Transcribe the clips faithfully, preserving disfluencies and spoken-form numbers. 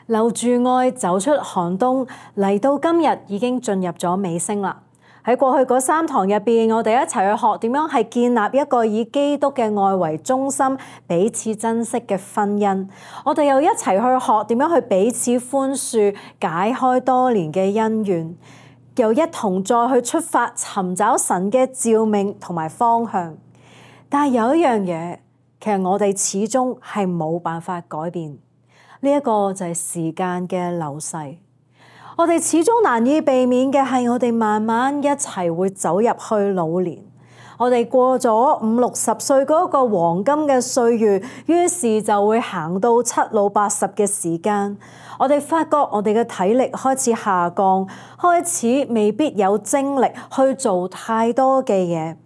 留住愛，走出寒冬，嚟到今日已經進入咗尾聲啦。喺過去嗰三堂入邊，我哋一齊去學點樣係建立一個以基督嘅愛為中心、彼此珍惜嘅婚姻。我哋又一齊去學點樣去彼此寬恕、解開多年嘅恩怨，又一同再去出發尋找神嘅召命同埋方向。但係有一樣嘢，其實我哋始終係冇辦法改變。呢一個就係時間嘅流逝，我哋始終難以避免嘅係我哋慢慢一齊會走入去老年。我哋過咗五六十歲嗰個黃金嘅歲月，於是就會行到七老八十嘅時間。我哋發覺我哋嘅體力開始下降，開始未必有精力去做太多嘅嘢。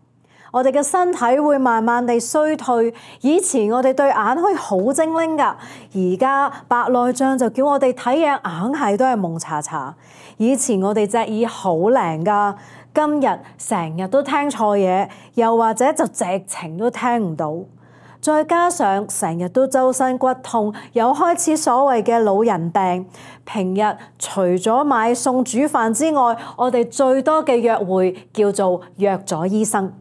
我哋嘅身體會慢慢地衰退，以前我哋對眼可以好精靈㗎，而家白內障就叫我哋睇嘢硬係都係蒙查查。以前我哋隻耳好靈㗎，今日成日都聽錯嘢，又或者就直情都聽唔到。再加上成日都周身骨痛，又開始所謂嘅老人病。平日除咗買餸煮飯之外，我哋最多嘅約會叫做約咗醫生。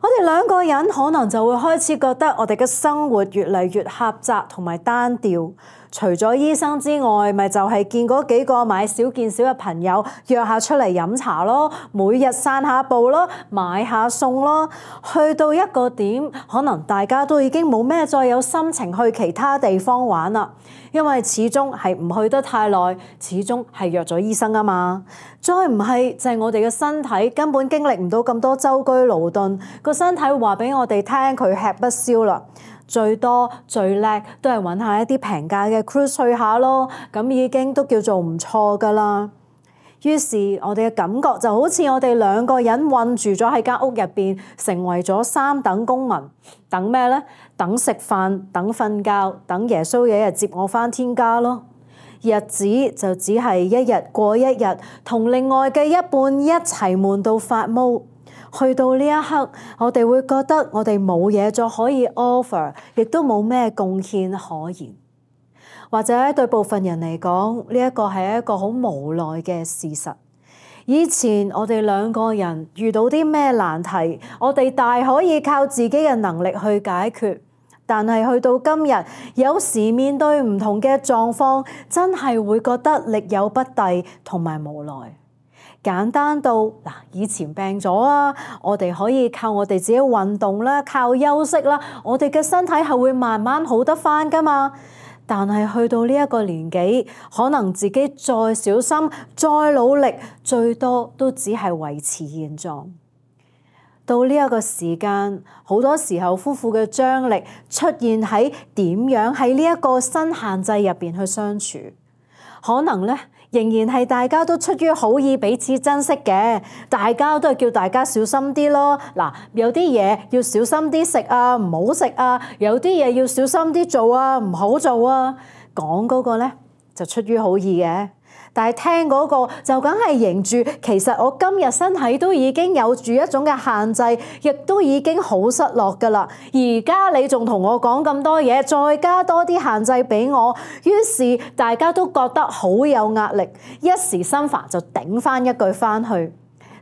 我哋兩個人可能就會開始覺得我哋嘅生活越嚟越狹窄同埋單調。除咗醫生之外，咪就係見嗰幾個買少見少嘅朋友約下出嚟飲茶咯，每日散下步咯，買下餸咯。去到一個點，可能大家都已經冇咩再有心情去其他地方玩啦，因為始終係唔去得太耐，始終係約咗醫生啊嘛。再唔係就係我哋嘅身體根本經歷唔到咁多舟車勞頓，個身體話俾我哋聽佢吃不消啦。最多最叻都係揾下一啲平價嘅 cruise 去下咯，咁已經都叫做唔錯噶啦。於是我哋嘅感覺就好似我哋兩個人困住咗喺間屋入邊，成為咗三等公民。等咩呢？等食飯，等瞓覺，等耶穌有一日接我返天家咯。日子就只係一日過一日，同另外嘅一半一齊悶到發毛。去到呢一刻，我哋會覺得我哋冇嘢再可以 offer， 亦都冇咩貢獻可言。或者對部分人嚟講，呢一個係一個好無奈嘅事實。以前我哋兩個人遇到啲咩難題，我哋大可以靠自己嘅能力去解決。但係去到今日，有時面對唔同嘅狀況，真係會覺得力有不逮同埋無奈。簡單到嗱，以前病咗啊，我哋可以靠我哋自己運動啦，靠休息啦，我哋嘅身體係會慢慢好得返㗎嘛。但係去到呢一個年紀，可能自己再小心、再努力，最多都只係維持現狀。到呢一個時間，好多時候夫婦嘅張力出現喺點樣喺呢一個新限制入邊去相處，可能咧。仍然係大家都出於好意彼此珍惜嘅，大家都係叫大家小心啲咯。嗱，有啲嘢要小心啲食啊，唔好食啊；有啲嘢要小心啲做啊，唔好做啊。講嗰個咧就出於好意嘅，但係聽嗰個就梗係認住，其實我今日身體都已經有住一種嘅限制，亦都已經好失落㗎啦。而家你仲同我講咁多嘢，再加多啲限制俾我，於是大家都覺得好有壓力，一時心煩就頂返一句返去。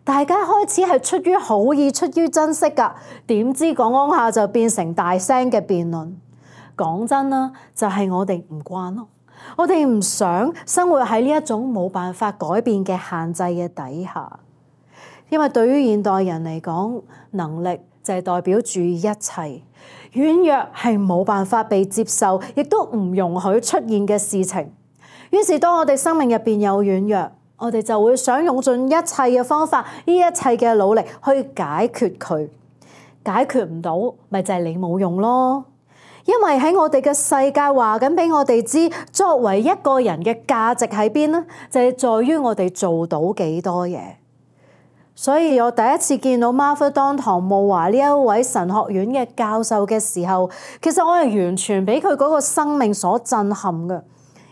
大家開始係出於好意、出於珍惜㗎，點知講講下就變成大聲嘅辯論。講真啦，就係我哋唔慣咯。我哋唔想生活喺呢一種冇辦法改變嘅限制嘅底下，因為對於現代人嚟講，能力就係代表住一切，軟弱係冇辦法被接受，亦都唔容許出現嘅事情。於是當我哋生命入邊有軟弱，我哋就會想用盡一切嘅方法，呢一切嘅努力去解決佢。解決唔到，咪就係你冇用咯。因為喺我哋嘅世界話緊俾我哋知，作為一個人嘅價值喺邊呢？就係在於我哋做到幾多嘢。所以我第一次見到馬菲當唐慕華呢一位神學院嘅教授嘅時候，其實我係完全俾佢嗰個生命所震撼嘅。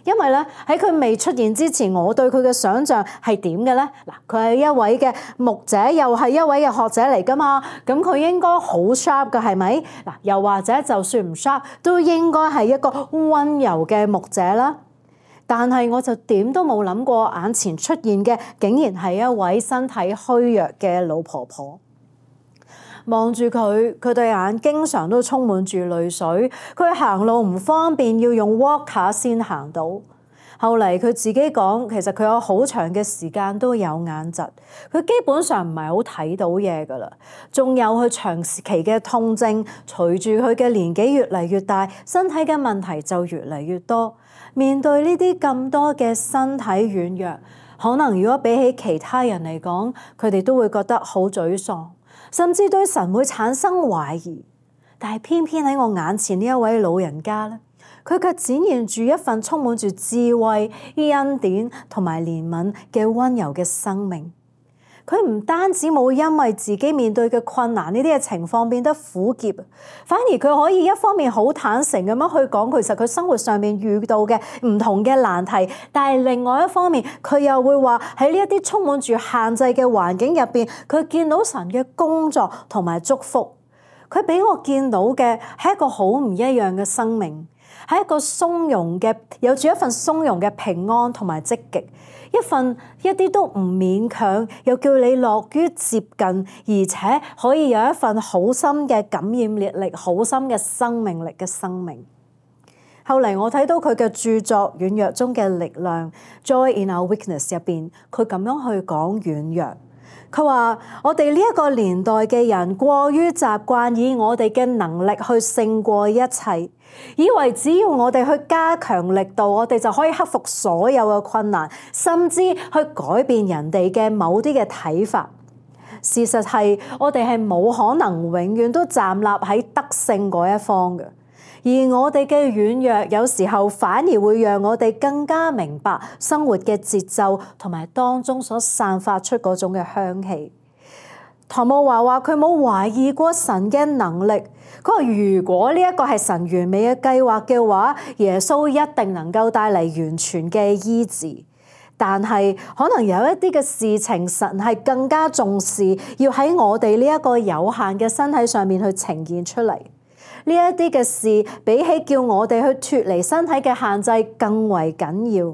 因為咧喺佢未出現之前，我對佢嘅想像係點嘅咧？嗱，佢係一位嘅牧者，又係一位嘅學者嚟㗎嘛。咁佢應該好 sharp 嘅，係咪？嗱，又或者就算唔 sharp，都應該係一個溫柔嘅牧者啦。但係我就點都冇諗過眼前出現嘅竟然係一位身體虛弱嘅老婆婆。望住佢，佢對眼經常都充滿住淚水。佢行路唔方便，要用 walker 先行到。後嚟佢自己講，其實佢有好長嘅時間都有眼疾，佢基本上唔係好睇到嘢㗎啦。仲有佢長期嘅痛症，隨住佢嘅年紀越嚟越大，身體嘅問題就越嚟越多。面對呢啲咁多嘅身體軟弱，可能如果比起其他人嚟講，佢哋都會覺得好沮喪，甚至對神會產生懷疑。但係偏偏喺我眼前呢一位老人家咧，佢卻展現住一份充滿住智慧、恩典同埋憐憫嘅溫柔嘅生命。佢唔單止冇因為自己面對嘅困難呢啲嘅情況變得苦澀，反而佢可以一方面好坦誠咁樣去講，其實佢生活上面遇到嘅唔同嘅難題，但係另外一方面，佢又會話喺呢一啲充滿住限制嘅環境入邊，佢見到神嘅工作同埋祝福。佢俾我見到嘅係一個好唔一樣嘅生命，係一個鬆容嘅，有住一份鬆容嘅平安同埋積極。一份一啲都唔勉強，又叫你樂於接近，而且可以有一份好深嘅感染力力、好深嘅生命力嘅生命。後嚟我睇到佢嘅著作《軟弱中嘅力量》（Joy in Our Weakness） 入邊，佢咁樣去講軟弱。佢話：我哋呢一個年代嘅人過於習慣以我哋嘅能力去勝過一切，以為只要我哋去加強力度，我哋就可以克服所有嘅困難，甚至去改變人哋嘅某啲嘅睇法。事實係，我哋係冇可能永遠都站立喺得勝嗰一方嘅。而我哋嘅軟弱，有時候反而會讓我哋更加明白生活嘅節奏，同埋當中所散發出嗰種嘅香氣。唐慕華話佢冇懷疑過神嘅能力，佢話如果呢一個係神完美嘅計劃嘅話，耶穌一定能夠帶嚟完全嘅醫治。但係可能有一啲嘅事情，神係更加重視，要喺我哋呢一個有限嘅身體上面去呈現出嚟。呢一啲嘅事，比起叫我哋去脫離身體嘅限制更為緊要。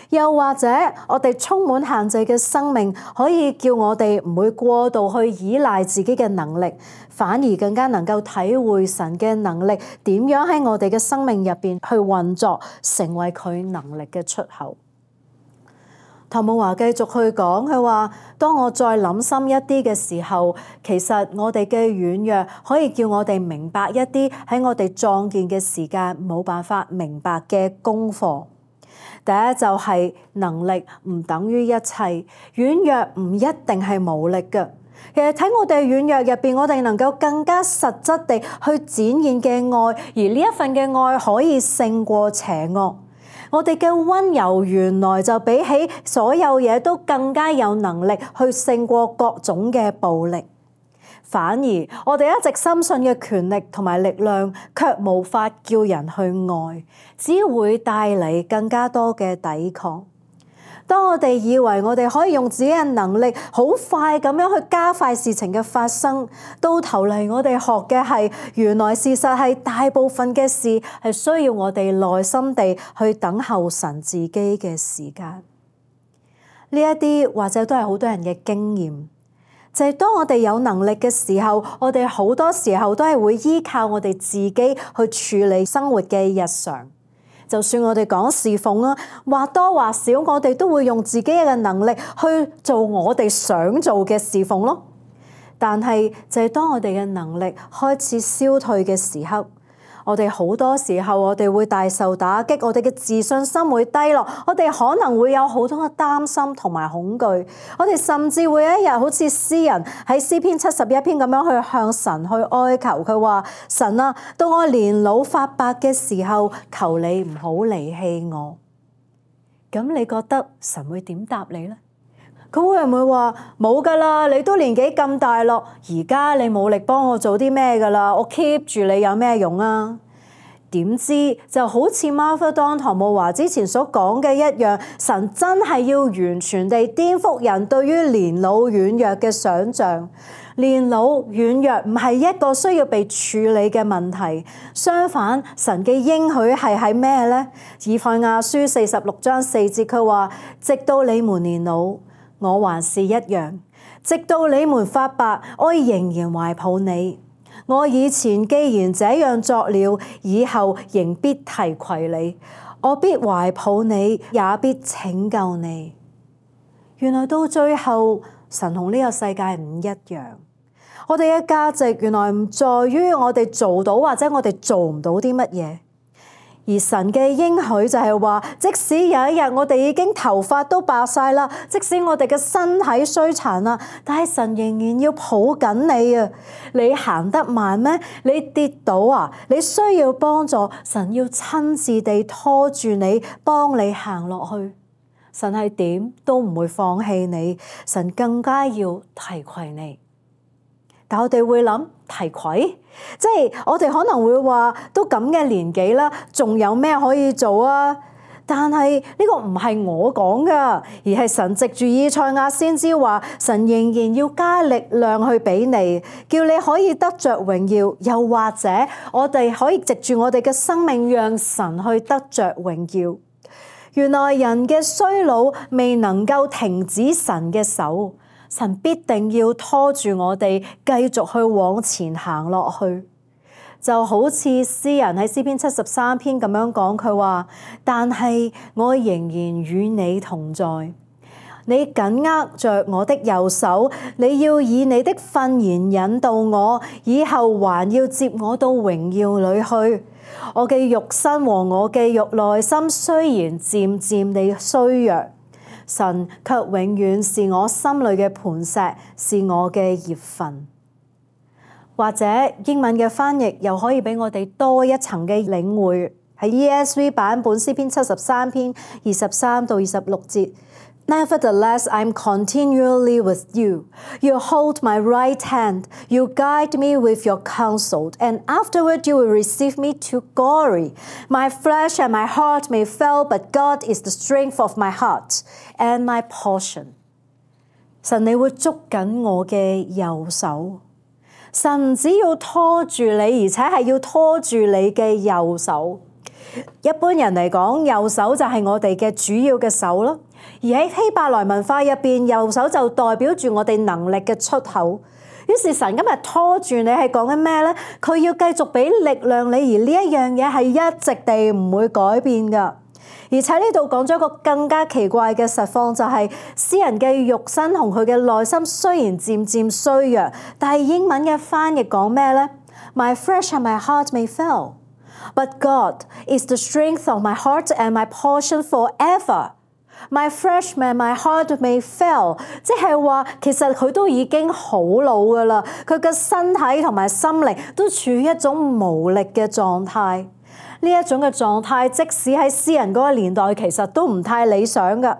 又或者，我哋充滿限制嘅生命，可以叫我哋唔會過度去依賴自己嘅能力，反而更加能夠體會神嘅能力點樣喺我哋嘅生命入邊去運作，成為佢能力嘅出口。唐慕華繼續去講，佢話：當我再諗深一啲嘅時候，其實我哋嘅軟弱可以叫我哋明白一啲喺我哋壯健嘅時間冇辦法明白嘅功課。第一就係能力唔等於一切，軟弱唔一定係無力嘅。其實喺我哋軟弱入邊，我哋能夠更加實質地去展現嘅愛，而呢一份嘅愛可以勝過邪惡。我哋嘅溫柔原來就比起所有嘢都更加有能力去勝過各種嘅暴力。反而我哋一直深信嘅權力同埋力量，卻無法叫人去愛，只會帶嚟更加多嘅抵抗。當我哋以為我哋可以用自己嘅能力好快咁樣去加快事情嘅發生，到頭嚟我哋學嘅係原來事實係大部分嘅事係需要我哋耐心地去等候神自己嘅時間。呢一啲或者都係好多人嘅經驗，就係當我哋有能力嘅時候，我哋好多時候都係會依靠我哋自己去處理生活嘅日常。就算我哋講侍奉啦，或多或少我哋都會用自己嘅能力去做我哋想做嘅侍奉咯。但係就係當我哋嘅能力開始消退嘅時刻，我哋好多時候我哋會大受打擊，我哋嘅自信心會低落，我哋可能會有好多嘅擔心同埋恐懼，我哋甚至會有一日好似詩人喺詩篇七十一篇咁樣去向神去哀求，佢話：神啊，到我年老髮白嘅時候，求你唔好離棄我。咁你覺得神會點答你呢？佢會唔會話冇噶啦？你都年紀咁大咯，而家你冇力幫我做啲咩噶啦？我 keep 住你有咩用啊？點知就好似 Martha 當唐慕華之前所講嘅一樣，神真係要完全地顛覆人對於年老軟弱嘅想像。年老軟弱唔係一個需要被處理嘅問題，相反，神嘅應許係喺咩呢？以賽亞書四十六章四節佢話：直到你們年老，我還是一樣；直到你們發白，我仍然懷抱你。我以前既然這樣作了，以後仍必提攜你。我必懷抱你，也必拯救你。原來到最後，神同呢個世界唔一樣。我哋嘅價值原來唔在於我哋做到或者我哋做唔到啲乜嘢。而神嘅應許就係話，即使有一日我哋已經頭髮都白晒啦，即使我哋嘅身體衰殘啦，但係神仍然要抱緊你啊！你行得慢咩？你跌倒啊？你需要幫助，神要親自地拖住你，幫你行落去。神係點都唔會放棄你，神更加要提攜你。但我哋會諗提攜，即係我哋可能會話都咁嘅年紀啦，仲有咩可以做啊？但係呢個唔係我講噶，而係神藉住以賽亞先知話，神仍然要加力量去俾你，叫你可以得着榮耀，又或者我哋可以藉住我哋嘅生命，讓神去得着榮耀。原來人嘅衰老未能夠停止神嘅手。神必定要拖住我哋繼續去往前行落去，就好似詩人喺詩篇七十三篇咁樣講，佢話：但係我仍然與你同在，你緊握着我的右手，你要以你的訓言引導我，以後還要接我到榮耀裏去。我嘅肉身和我嘅肉內心雖然漸漸地衰弱，神卻永遠是我心裏嘅磐石，是我嘅業份。或者英文嘅翻譯又可以俾我哋多一層嘅領會，喺 E S V 版本詩篇七十三篇二十三到二十六節。Nevertheless, I am continually with you. You hold my right hand. You guide me with your counsel, and afterward you will receive me to glory. My flesh and my heart may fail, but God is the strength of my heart and my portion. 神，你會捉緊我嘅右手。神唔只要拖住你，而且係要拖住你嘅右手。一般人嚟講，右手就係我哋嘅主要嘅手咯。而喺希伯來文化入邊，右手就代表住我哋能力嘅出口。於是神今日拖住你係講緊咩呢？佢要繼續俾力量你，而呢一樣嘢係一直地唔會改變㗎。而且呢度講咗一個更加奇怪嘅實況，就係詩人嘅肉身同佢嘅內心雖然漸漸衰弱，但係英文嘅翻譯講咩呢？ My flesh and my heart may fail, but God is the strength of my heart and my portion forever.My flesh and my heart may fail， 即係話其實佢都已經好老㗎啦，佢嘅身體同埋心靈都處於一種無力嘅狀態。呢一種嘅狀態，即使喺詩人嗰個年代，其實都唔太理想㗎。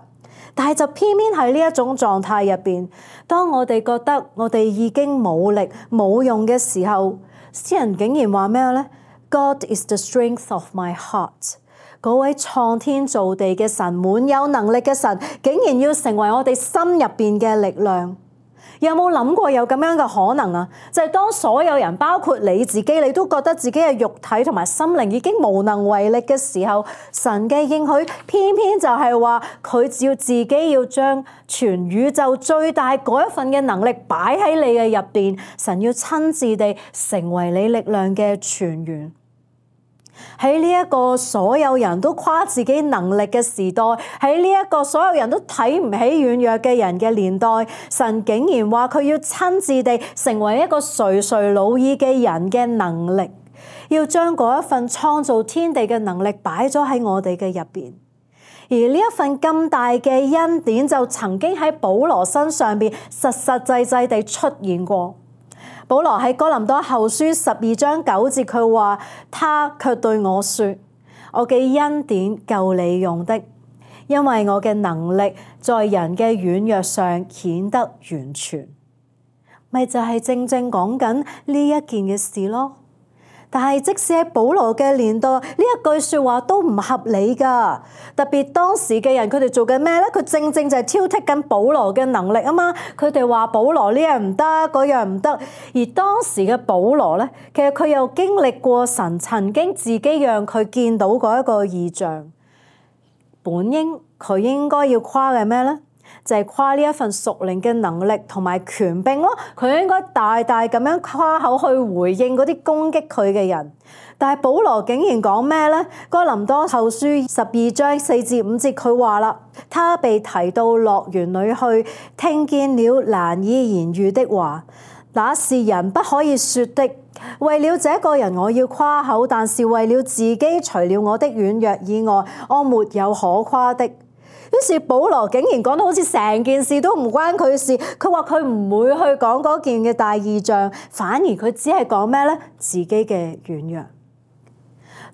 但係就偏偏喺呢一種狀態入邊，當我哋覺得我哋已經冇力冇用嘅時候，詩人竟然話咩呢？ God is the strength of my heart。嗰位創天造地嘅神，滿有能力嘅神，竟然要成為我哋心入邊嘅力量。有冇諗過有咁樣嘅可能啊？就係當所有人，包括你自己，你都覺得自己嘅肉體同埋心靈已經無能為力嘅時候，神嘅應許偏偏就係話佢要自己要將全宇宙最大嗰一份嘅能力擺喺你嘅入邊，神要親自地成為你力量嘅泉源。喺呢一個所有人都誇自己能力嘅時代，喺呢一個所有人都睇唔起軟弱嘅人嘅年代，神竟然話佢要親自地成為一個垂垂老矣嘅人嘅能力，要將嗰一份創造天地嘅能力擺咗喺我哋嘅入邊。而呢一份咁大嘅恩典就曾經喺保羅身上邊實實際際地出現過。保羅喺哥林多後書十二章九節佢話，他卻對我說，我嘅恩典夠你用的，因為我嘅能力在人嘅軟弱上顯得完全。咪就係正正講緊呢一件嘅事咯。但係即使喺保羅嘅年代，呢一句説話都唔合理㗎。特別當時嘅人，佢哋做緊咩咧？佢正正就係挑剔緊保羅嘅能力啊嘛。佢哋話保羅呢樣唔得，嗰樣唔得。而當時嘅保羅咧，其實佢又經歷過神曾經自己讓佢見到嗰一個異象。本應佢應該要誇嘅咩咧？就係誇呢一份屬靈嘅能力同埋權柄咯。佢應該大大咁樣誇口去回應嗰啲攻擊佢嘅人。但係保羅竟然講咩咧？哥林多後書十二章四至五節佢話啦，他被提到樂園裏去，聽見了難以言喻的話，那是人不可以說的。為了這個人我要誇口，但是為了自己，除了我的軟弱以外，我沒有可誇的。於是保羅竟然講到好似成件事都唔關佢事，佢話佢唔會去講嗰件嘅大異象，反而佢只係講咩咧？自己嘅軟弱。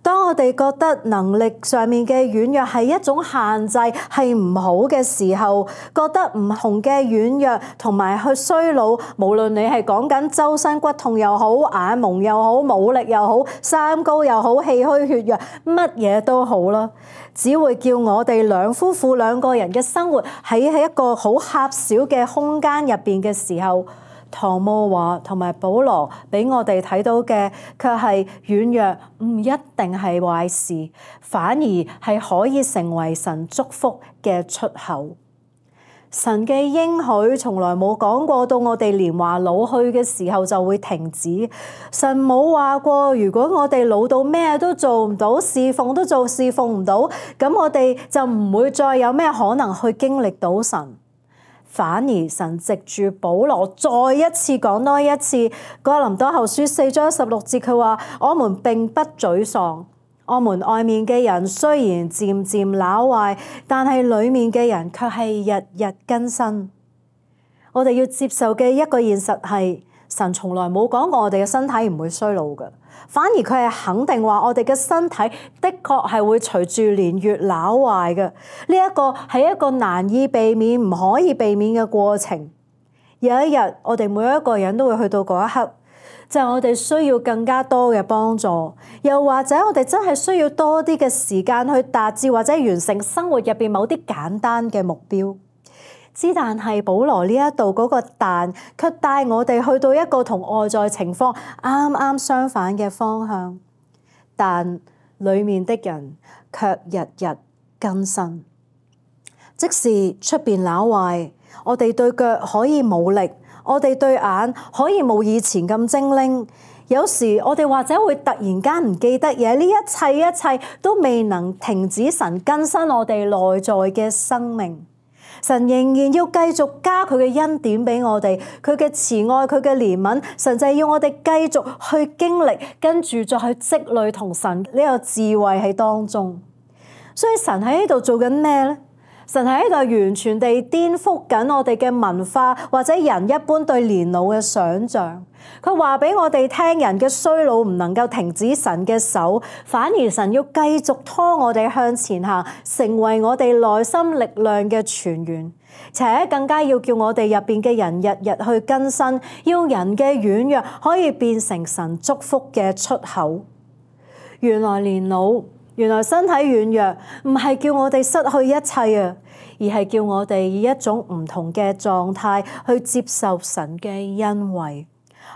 當我哋覺得能力上面嘅軟弱係一種限制，係唔好嘅時候，覺得唔同嘅軟弱同埋去衰老，無論你係講緊周身骨痛又好，眼矇又好，冇力又好，三高又好，氣虛血弱，乜嘢都好啦，只會叫我哋兩夫婦兩個人嘅生活喺喺一個好狹小嘅空間入邊嘅時候，唐慕華同埋保羅俾我哋睇到嘅，卻係軟弱唔一定係壞事，反而係可以成為神祝福嘅出口。神嘅應許從來冇講過到我哋年華老去嘅時候就會停止。神冇話過，如果我哋老到咩都做唔到，侍奉都做侍奉唔到，咁我哋就唔會再有咩可能去經歷到神。反而神藉住保羅再一次講多一次，哥林多後書四章十六節佢話：我們並不沮喪，我們外面嘅人雖然漸漸朽壞，但係裡面嘅人卻係日日更新。我哋要接受嘅一個現實係，神從來冇講過我哋嘅身體唔會衰老嘅，反而佢係肯定話我哋嘅身體的確係會隨住年月朽壞嘅。呢一個係一個難以避免、唔可以避免嘅過程。有一日，我哋每一個人都會去到嗰一刻，就係我哋需要更加多嘅幫助，又或者我哋真係需要多啲嘅時間去達至或者完成生活入邊某啲簡單嘅目標。之但係保羅呢一度嗰個但，卻帶我哋去到一個同外在情況啱啱相反嘅方向。但裡面的人卻日日更新。即使出邊朽壞，我哋對腳可以冇力，我哋對眼可以冇以前咁精靈。有時我哋或者會突然間唔記得嘢，呢一切一切都未能停止神更新我哋內在嘅生命。神仍然要繼續加佢嘅恩典俾我哋，佢嘅慈愛，佢嘅憐憫，神就係要我哋繼續去經歷，跟住再去積累同神呢個智慧喺當中。所以神喺呢度做緊咩咧？神喺呢度完全地顛覆緊我哋嘅文化或者人一般對年老嘅想像。佢話俾我哋聽，人嘅衰老唔能夠停止神嘅手，反而神要繼續拖我哋向前行，成為我哋內心力量嘅泉源，且更加要叫我哋入邊嘅人日日去更新，要人嘅軟弱可以變成神祝福嘅出口。原來年老，原來身體軟弱，唔係叫我哋失去一切啊，而係叫我哋以一種唔同嘅狀態去接受神嘅恩惠。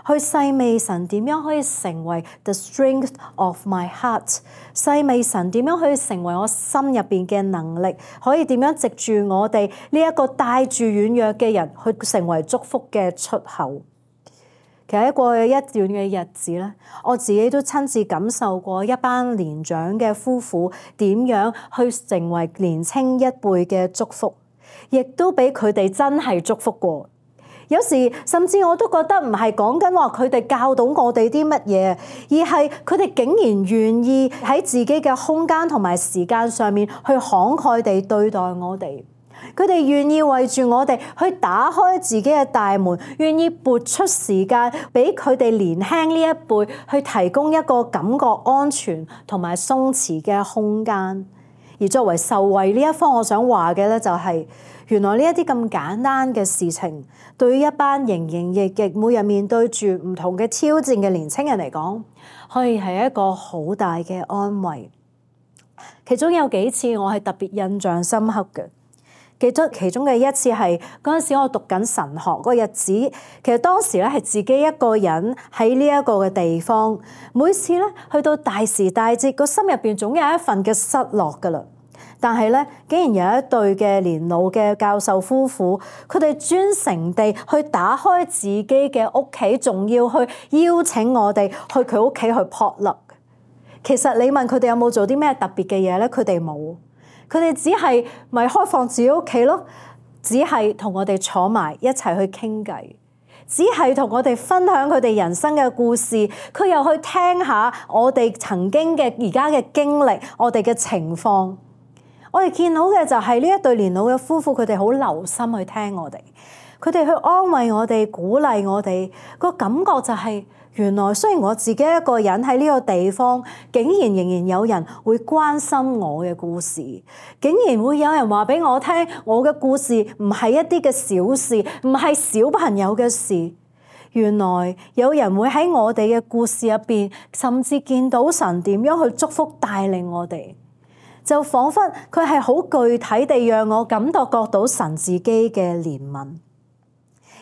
去細味神點樣可以成為 the strength of my heart， 細味神點樣可以成為我心入邊嘅能力，可以點樣藉住我哋呢一個帶住軟弱嘅人去成為祝福嘅出口。其實喺過去一段嘅日子咧，我自己都親自感受過一班年長嘅夫婦點樣去成為年青一輩嘅祝福，亦都俾佢哋真係祝福過。有時甚至我都覺得唔係講緊話佢哋教到我哋啲乜嘢，而係佢哋竟然願意喺自己嘅空間同埋時間上面去慷慨地對待我哋。佢哋願意為住我哋去打開自己嘅大門，願意撥出時間俾佢哋年輕呢一輩去提供一個感覺安全同埋鬆弛嘅空間。而作為受惠呢一方，我想話嘅咧就係，原來呢一啲咁簡單嘅事情，對於一班營營役役每日面對住唔同嘅挑戰嘅年輕人嚟講，可以係一個好大嘅安慰。其中有幾次我係特別印象深刻嘅，記得其中嘅一次係嗰陣時我讀緊神學嗰個日子，其實當時咧係自己一個人喺呢一個嘅地方，每次咧去到大時大節，個心入邊總有一份嘅失落噶啦。但係咧，竟然有一對嘅年老嘅教授夫婦，佢哋專程地去打開自己嘅屋企，仲要去邀請我哋去佢屋企去 potluck。其實你問佢哋有冇做啲咩特別嘅嘢咧？佢哋冇，佢哋只係咪開放自己屋企咯，只係同我哋坐埋一齊去傾偈，只係同我哋分享佢哋人生嘅故事，佢又去聽下我哋曾經嘅而家嘅經歷，我哋嘅情況。我哋見到嘅就係呢一對年老嘅夫婦，佢哋好留心去聽我哋，佢哋去安慰我哋、鼓勵我哋。個感覺就係，原來雖然我自己一個人喺呢個地方，竟然仍然有人會關心我嘅故事，竟然會有人話俾我聽，我嘅故事唔係一啲嘅小事，唔係小朋友嘅事。原來有人會喺我哋嘅故事入邊，甚至見到神點樣去祝福帶領我哋。就彷彿佢係好具體地讓我感覺覺到神自己嘅憐憫。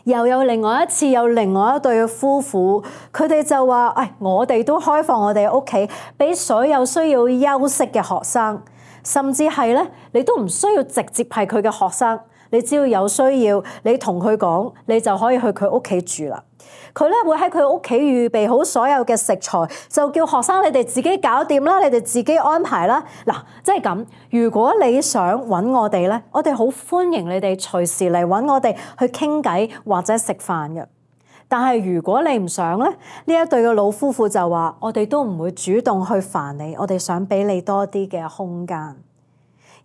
又有另外一次，有另外一對嘅夫婦，佢哋就話：哎，我哋都開放我哋屋企，俾所有需要休息嘅學生，甚至係咧，你都唔需要直接係佢嘅學生，你只要有需要，你同佢講，你就可以去佢屋企住啦。佢咧會喺佢屋企預備好所有嘅食材，就叫學生你哋自己搞掂啦，你哋自己安排啦。嗱，即係咁。如果你想揾我哋咧，我哋好歡迎你哋隨時嚟揾我哋去傾偈或者食飯嘅。但係如果你唔想咧，呢一對嘅老夫婦就話：我哋都唔會主動去煩你，我哋想俾你多啲嘅空間。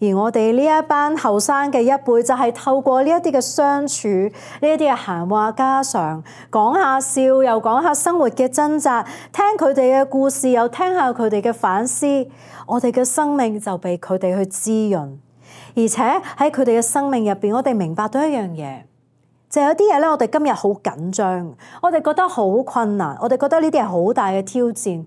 而我哋呢一班後生嘅一輩就係透過呢一啲嘅相處，呢一啲嘅閒話家常，講下笑又講下生活嘅掙扎，聽佢哋嘅故事又聽下佢哋嘅反思，我哋嘅生命就被佢哋去滋潤。而且喺佢哋嘅生命入邊，我哋明白到一樣嘢，就係有啲嘢咧，我哋今日好緊張，我哋覺得好困難，我哋覺得呢啲係好大嘅挑戰。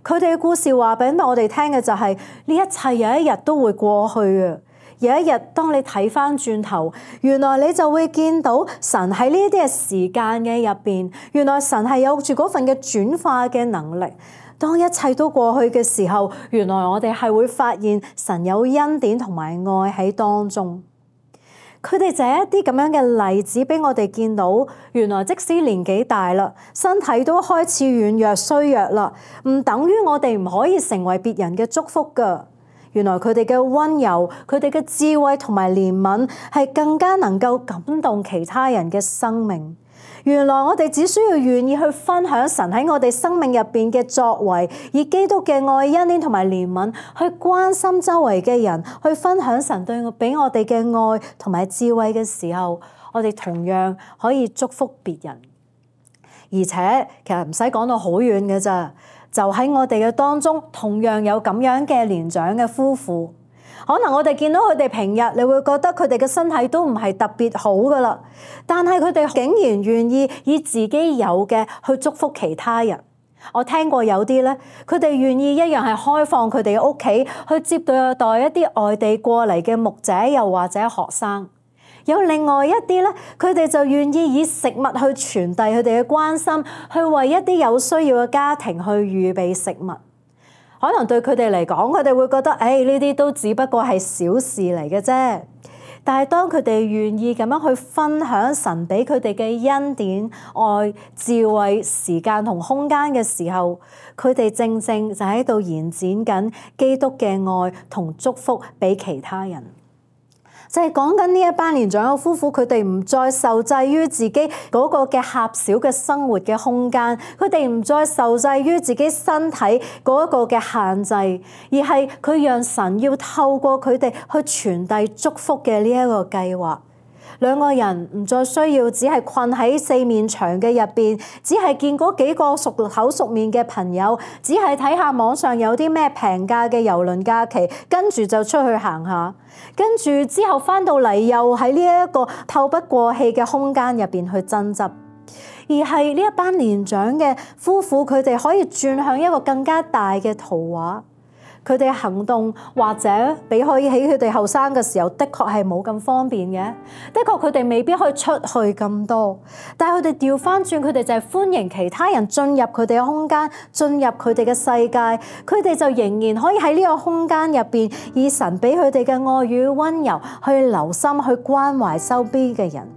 佢哋嘅故事話俾我哋聽嘅就係，呢一切有一日都會過去嘅。有一日當你睇翻轉頭，原來你就會見到神喺呢啲嘅時間嘅入邊，原來神係有住嗰份嘅轉化嘅能力。當一切都過去嘅時候，原來我哋係會發現神有恩典同埋愛喺當中。佢哋就係一啲咁樣嘅例子俾我哋見到，原來即使年紀大啦，身體都開始軟弱衰弱啦，唔等於我哋唔可以成為別人嘅祝福㗎。原來佢哋嘅溫柔、佢哋嘅智慧同埋憐憫係更加能夠感動其他人嘅生命。原來我哋只需要願意去分享神喺我哋生命入邊嘅作為，以基督嘅愛、恩典同埋憐憫去關心周圍嘅人，去分享神對我俾我哋嘅愛同埋智慧嘅時候，我哋同樣可以祝福別人。而且其實唔使講到好遠嘅咋，就喺我哋嘅當中，同樣有咁樣嘅年長嘅夫婦。可能我哋見到佢哋平日，你會覺得佢哋嘅身體都唔係特別好噶啦，但係佢哋竟然願意以自己有嘅去祝福其他人。我聽過有啲咧，佢哋願意一樣係開放佢哋嘅屋企去接待待一啲外地過嚟嘅牧者，又或者學生。有另外一啲咧，佢哋就願意以食物去傳遞佢哋嘅關心，去為一啲有需要嘅家庭去預備食物。可能對佢哋嚟講，佢哋會覺得，誒呢啲都只不過係小事嚟嘅啫。但係當佢哋願意咁樣去分享神俾佢哋嘅恩典、愛、智慧、時間同空間嘅時候，佢哋正正就喺度延展緊基督嘅愛同祝福俾其他人。就係講緊呢一班年長嘅夫婦，佢哋唔再受制於自己嗰個嘅狹小嘅生活嘅空間，佢哋唔再受制於自己身體嗰一個嘅限制，而係佢讓神要透過佢哋去傳遞祝福嘅呢一個計劃。兩個人唔再需要只係困喺四面牆嘅入邊，只係見嗰幾個熟口熟面嘅朋友，只係睇下網上有啲咩平價嘅郵輪假期，跟住就出去行下，跟住之後翻到嚟又喺呢一個透不過氣嘅空間入邊去爭執，而係呢一班年長嘅夫婦，佢哋可以轉向一個更加大嘅圖畫。佢哋行動或者比可以喺佢哋後生嘅時候，的確係冇咁方便嘅。的確佢哋未必可以出去咁多，但係佢哋調翻轉，佢哋就係歡迎其他人進入佢哋嘅空間，進入佢哋嘅世界。佢哋就仍然可以喺呢個空間入邊，以神俾佢哋嘅愛與溫柔去留心去關懷周邊嘅人。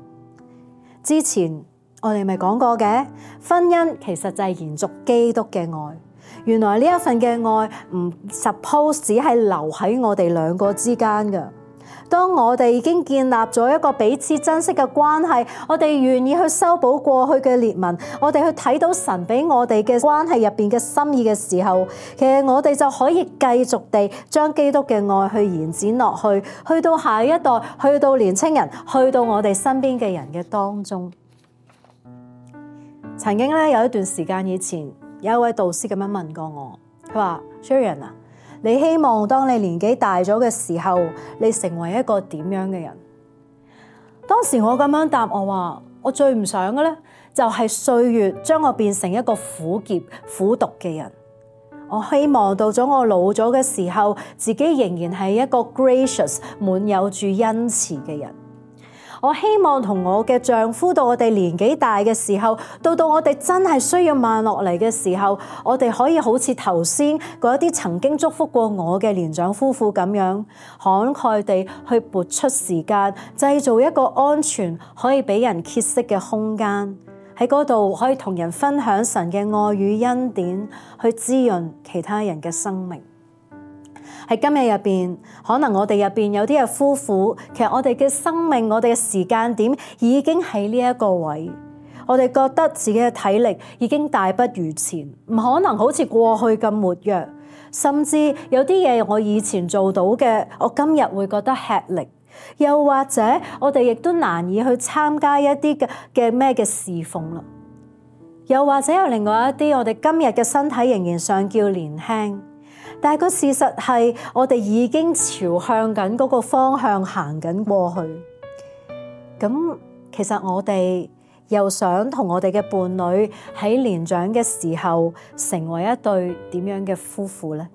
之前我哋咪講過嘅，婚姻其實就係延續基督嘅愛。原來呢一份嘅愛唔 suppose 只係留喺我哋兩個之間㗎。當我哋已經建立咗一個彼此珍惜嘅關係，我哋願意去修補過去嘅裂紋，我哋去睇到神俾我哋嘅關係入邊嘅心意嘅時候，其實我哋就可以繼續地將基督嘅愛去延展落去，去到下一代，去到年青人，去到我哋身邊嘅人嘅當中。曾經咧有一段時間以前，有一位導師咁樣問過我，佢話 Sharon 啊，你希望當你年紀大咗嘅時候，你成為一個點樣嘅人？當時我咁樣答我話，我最唔想嘅咧，就係歲月將我變成一個苦澀苦毒嘅人。我希望到咗我老咗嘅時候，自己仍然係一個 gracious 滿有住恩慈嘅人。我希望同我嘅丈夫到我哋年紀大嘅時候，到到我哋真係需要慢落嚟嘅時候，我哋可以好似頭先嗰一啲曾經祝福過我嘅年長夫婦咁樣，慷慨地去撥出時間，製造一個安全可以俾人歇息嘅空間，喺嗰度可以同人分享神嘅愛與恩典，去滋潤其他人嘅生命。喺今日入邊，可能我哋入邊有啲嘅夫婦，其實我哋嘅生命，我哋嘅時間點已經喺呢一個位，我哋覺得自己嘅體力已經大不如前，唔可能好似過去咁活躍，甚至有啲嘢我以前做到嘅，我今日會覺得吃力，又或者我哋亦都難以去參加一啲嘅嘅咩嘅侍奉啦，又或者有另外一啲，我哋今日嘅身體仍然尚叫年輕。但係個事實係，我哋已經朝向緊嗰個方向行緊過去。咁其實我哋又想同我哋嘅伴侶喺年長嘅時候成為一對點樣嘅夫婦呢？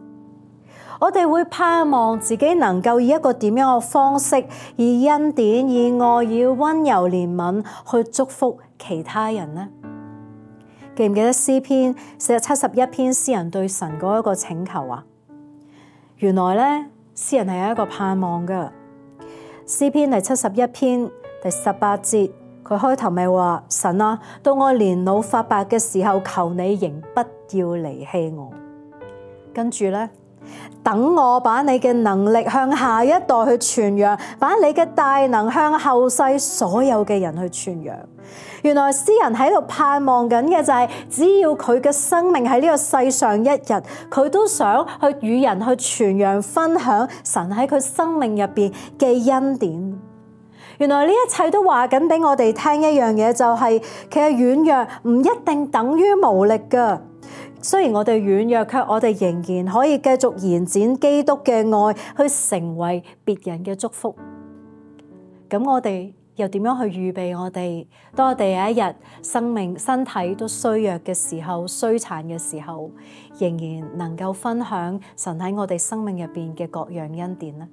我哋會盼望自己能夠以一個點樣嘅方式，以恩典、以愛、以溫柔憐憫去祝福其他人呢？記唔記得詩篇四十七十一篇詩人對神嗰一個請求啊？原來咧，詩人係有一個盼望噶。詩篇第七十一篇第十八節，佢開頭咪話：神啊，到我年老髮白嘅時候，求你仍不要離棄我。跟住咧，等我把你嘅能力向下一代去傳揚，把你嘅大能向後世所有嘅人去傳揚。原來詩人喺度盼望緊嘅就係，只要佢嘅生命喺呢個世上一日，佢都想去與人去傳揚分享神喺佢生命入邊嘅恩典。原來呢一切都話緊俾我哋聽一樣嘢，就係其實軟弱唔一定等於無力噶。雖然我哋軟弱，卻我哋仍然可以繼續延展基督嘅愛，去成為別人嘅祝福。咁我哋又點樣去預備我哋？當我哋有一日生命身體都衰弱嘅時候、衰殘嘅時候，仍然能夠分享神喺我哋生命入邊嘅各樣恩典呢？